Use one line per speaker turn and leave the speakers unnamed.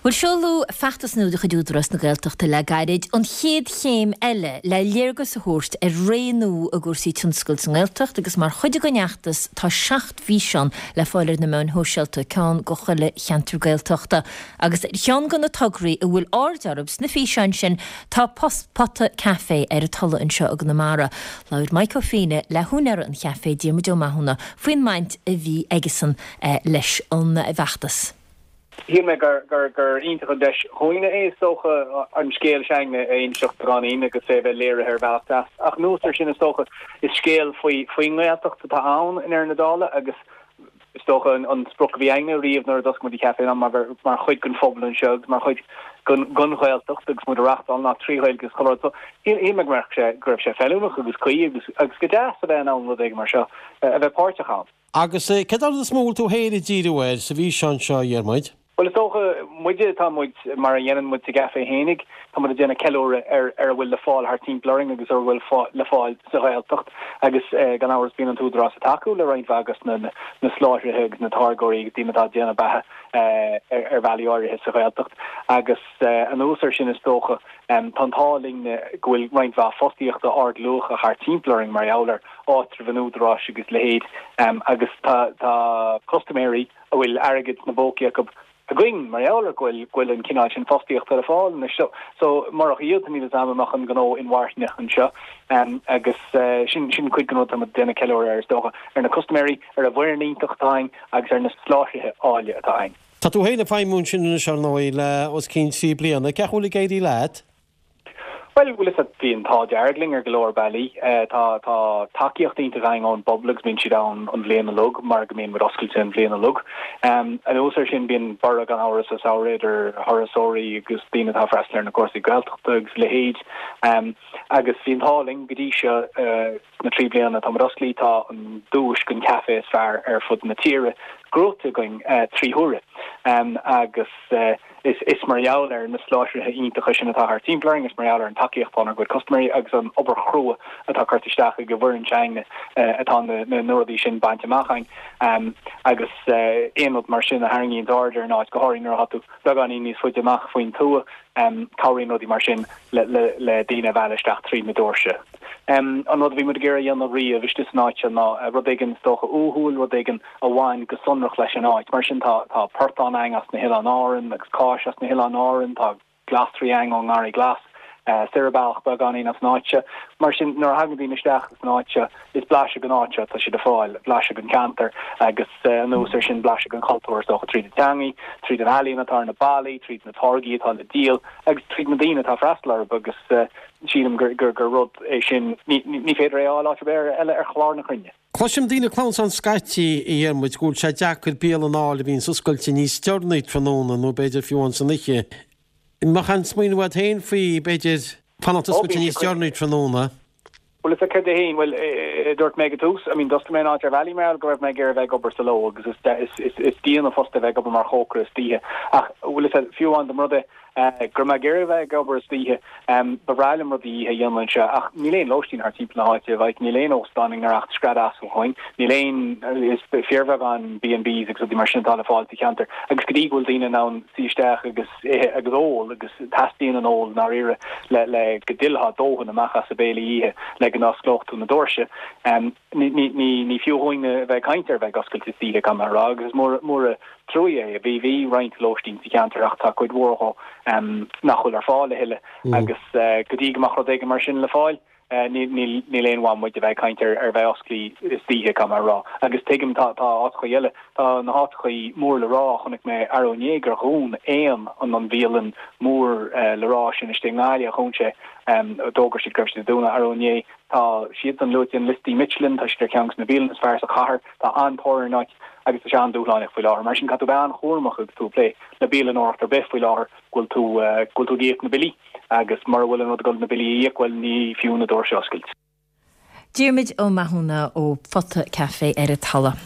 Bhuel, seoladh feachtas nua de chuid Údarás na Gaeltachta le gairid, an chéad chéim eile le léargas a thabhairt ar ré nua i gcúrsaí tionscail sa nGaeltacht agus mar chuid den fheachtas tá 7 bhfíseán le fáil ar na meáin shóisialta, ceann do chuile cheantar Gaeltachta. Agus ar cheann de na tograí a bhfuil aird orthu sna físeáin sin tá Pota Café ar an Tulaigh anseo i gConamara. Labhair Mike Ó Fiaine le húinéara an chaifé, Diarmuid Ó Mathúna, faoin mbaint a bhí aigesan leis an bhfeachtas.
Shíl mé gur iontach an deis dhúinne é, is dócha, an scéal s'againne a inseacht beagáinín agus é a bheith léirithe ar bhealach deas. Ach anuas air sin, is dócha, is scéal faoin nGaeltacht atá ann i ndeireadh na dála agus is dócha an sprioc a bhí againne riamh nuair a d'oscail muid an caife ná mar mar chuid den phobal anseo agus mar chuid den Ghaeltacht agus muid a reáchtáil ná trí Ghaeilge agus chuile rud. So shíl mé go mbeadh sé, go raibh sé feiliúnach agus cuí agus agus go deas a bheith in ann rud éigin mar seo a bheith páirteach ann.
Agus céard é an rud is mó a bhfuil tú féin ag díriú air sa bhfíseán seo, a Dhiarmuid?
Bhuel, is dócha, muide, tá muid, mar a dhéanann muid sa gcaifé fhéinig, tá muid ag déanamh ceiliúradh ar ar a bhfuil le fáil thart timpeall orainn agus ar a bhfuil le fáil sa Ghaeltacht agus gan amhras bíonn an tÚdarás ag tacú le roinnt mhaith de na na soláthraithe agus na táirgeoirí agus daoine atá ag déanamh beatha ar bhealaí áirithe sa Ghaeltacht agus anuas air sin is dócha tá an t-ádh linn go bhfuil roinnt mhaith fostaíochta ardluacha thart timpeall orainn mar gheall ar áitreabh an Údaráis agus a leithéid agus tá tá custaiméirí a bhfuil airgead sna bpócaí acu againn mar gheall ar go bhfuil go bhfuil an cineál sin fostaíochta le fáil anois. So so murach iad níl a fhios agam an mbeadh an gnó inmharthana anseo agus sin sin cuid den rud atá muid ag déanamh ceiliúradh air is dócha, ar na custaiméirí, ar an bhfoireann iontach atá againn agus ar na soláthraithe áille atá againn.
Tá tú féin ag feidhmiú ansin anois ar ndóigh le os cionn 3 bliana. Cén chaoi a bhfuil ag éirí leat?
Bhuel, bhfuil fhios agat, bhí an t-ádh dearg linn ar go leor bealaí. Tá tá tacaíocht iontach againn ón bpobal agus bíonn siad ann an bhliain uilig mar go mbíonn muid oscailte an bhliain uilig. Anuas air sin, bíonn borradh gan amhras sa samhradh idir thurasóirí agus daoine atá ag freastal ar na cúrsaí Gaeltachta agus a leithéid. Agus bhí an t-ádh linn go dtí seo sna 3 bliana atá muid osclaí, tá an duais don chaife is fearr ar fud na tíre gnóthaithe againn 3 huaire. Agus. Is mar gheall ar na soláthraithe iontacha sin atá thart timpeall orainn, is mar gheall ar an tacaíocht atá ónár gcuid custaiméirí agus an obair chrua atá curtha isteach ag an bhfoireann s'againne atá na rudaí sin bainte amach againn. Agus aon rud mar sin a tharraingíonn aird ar an áit, go háirithe nuair atá tú beagáinín níos faide amach faoin tuath, cabhraíonn rudaí mar sin le daoine a mhealladh isteach tríd na doirse. An rud a bhí muid ag iarraidh a dhéanamh riamh istigh san áit seo ná rud éigin is dócha uathúil, rud éigin a bhain go sonrach leis an áit. Mar sin tá tá portán againn as na hOileáin Árann agus cáis as na hOileáin Árann, tá glasraí againn ón nGarraí Glas, soir an bealach beagáinín as an áit seo. Mar sin nuair a thagann daoine isteach san áit seo is blaiseadh den áit seo atá siad ag fáil, blaiseadh den cheantar agus anuas air sin blaiseadh den chultúr is dócha tríd an teangaidh, tríd an ealaíon atá ar na ballaí, tríd na táirgí atá le díol agus tríd na daoine atá ag freastal orthu agus sílim gur gur rud é sin ní féidir é a fháil áit ar bith eile ar chlár na cruinne.
Cloisim daoine ag clamhsán scaití, a Dhiarmuid, go bhfuil sé deacair bialann a fháil a bhíonns oscailte níos deireanaí tráthnóna nó b'fhéidir fiú amháin san oíche. An mbeadh aon smaoineamh agat féin faoi, b'fhéidir, fanacht oscailte níos deireanaí tráthnóna?
Bhuel, is céard é féin, bhuel, dúirt mé ag an tús, I mean, d'oscail mé an áit ar bhealaí mar gheall go raibh mé ag iarraidh a bheith ag obair sa ló agus is, is, is dian an post é bheith ag obair mar chócaire istoíche. Ach, bhuel, is fiú amháin dá mba rud é, Go raibh mé ag iarraidh a bheith ag obair istoíche. Ba bhreá liom rudaí oíche a dhéanamh anseo ach níl aon lóistín thart timpeall na háite, like, níl aon óstán i ngiorracht scread asail dhúinn, níl aon, is fíorbheagán B&Bs agus rudaí mar sin atá le fáil sa cheantar agus go dtí go bhfuil daoine in ann suí isteach agus ithe agus ól agus teastaíonn an ól i ndáiríre le le go dtuillfeá dóthain amach as an béile oíche le go n-osclódh tú na doirse. Ní fiú dhúinn a bheith ag caint ar bheith ag oscailt istoíche, caithfidh mé a rá, agus is mór an truaí é. Bhí bhí roinnt lóistín sa cheantar ach tá cuid mhór dhó nach bhfuil ar fáil a thuilleadh agus go dtí go mbeadh rud éigin mar sin le fáil, níl aon mhaith muid a bheith ag caint ar bheith osclaí istoíche, caithfidh mé a rá. Agus tuigim, tá áiteachaí eile, tá na háiteachaí mór le rá, chonaic mé arú inné gur dhún Aon, an bhialann mór le rá sin istigh i nGaillimh, dhún sé, d'fhógair siad go raibh siad ag dúnadh arú inné. Tá siadsan luaite in liostaí Michelin, tá siad ar cheann de na bialanna is fearr sa chathair, tá an-tóir ar an áit agus tá sé an-dúshlánach faoi láthair. Mar sin, caithfidh tú bheith an-chúramach agus tú ag plé le bialannóireacht ar bith faoi láthair go bhfuil tú, go bhfuil tú ag íoc na billí agus mura bhfuil an rud ag dul na billí a íoc, bhuel, ní fiú na doirse a oscailt.
Diarmuid Ó Mathúna ó Phota Café ar an Tulaigh.